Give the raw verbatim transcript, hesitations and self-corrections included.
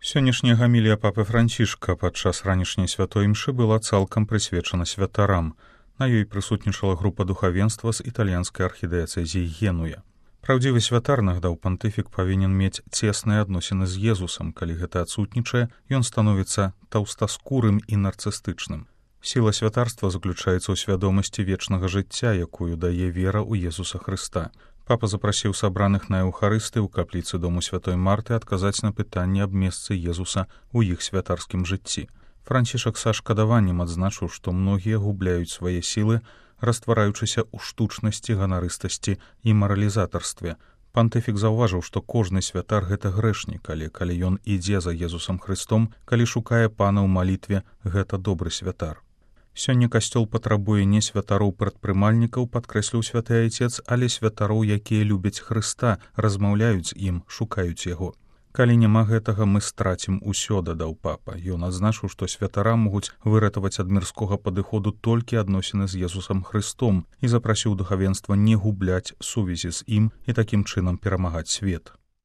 Сённяшняя гамілія папы Францішка падчас ранішняй святой імшы была цалкам прысвечана святарам. На ёй прысутнічала група духавенства з італьянскай архідыяцэзіі Генуя. Праўдзівы святар, нагадаў пантыфік, павінен мець цесныя адносіны з Езусам. Калі гэта адсутнічае, ён становіцца таўстаскурым і нарцыстычным. Сіла святарства заключаецца ў свядомасці вечнага жыцця, якую дае вера ў Езуса Хрыста. Папа запрасіў сабраных на эўхарысты ў капліцы дому святой Марты адказаць на пытанне аб месцы Езуса ў іх святарскім жыцці. Францішак са шкадаваннем адзначыў, што многія губляюць свае сілы, раствараючыся ў штучнасці, ганарыстасці і маралізатарстве. Пантыфік заўважыў, што кожны святар гэта грэшнік, але калі ён ідзе за Езусам Хрыстом, калі шукае пана ў малітве, гэта добры святар. Сёння касцёл патрабуе не святароў-прадпрымальнікаў, падкрэсліў святы айцец, але святароў, якія любяць Хрыста, размаўляюць з ім, шукаюць яго. Калі няма гэтага, мы страцім усё, дадаў папа. Ён адзначыў, што святара могуць выратаваць ад мірскога падыходу толькі адносіны з Езусам Хрыстом і запрасіў духавенства не губляць сувязі з ім і такім чынам перамагаць свет.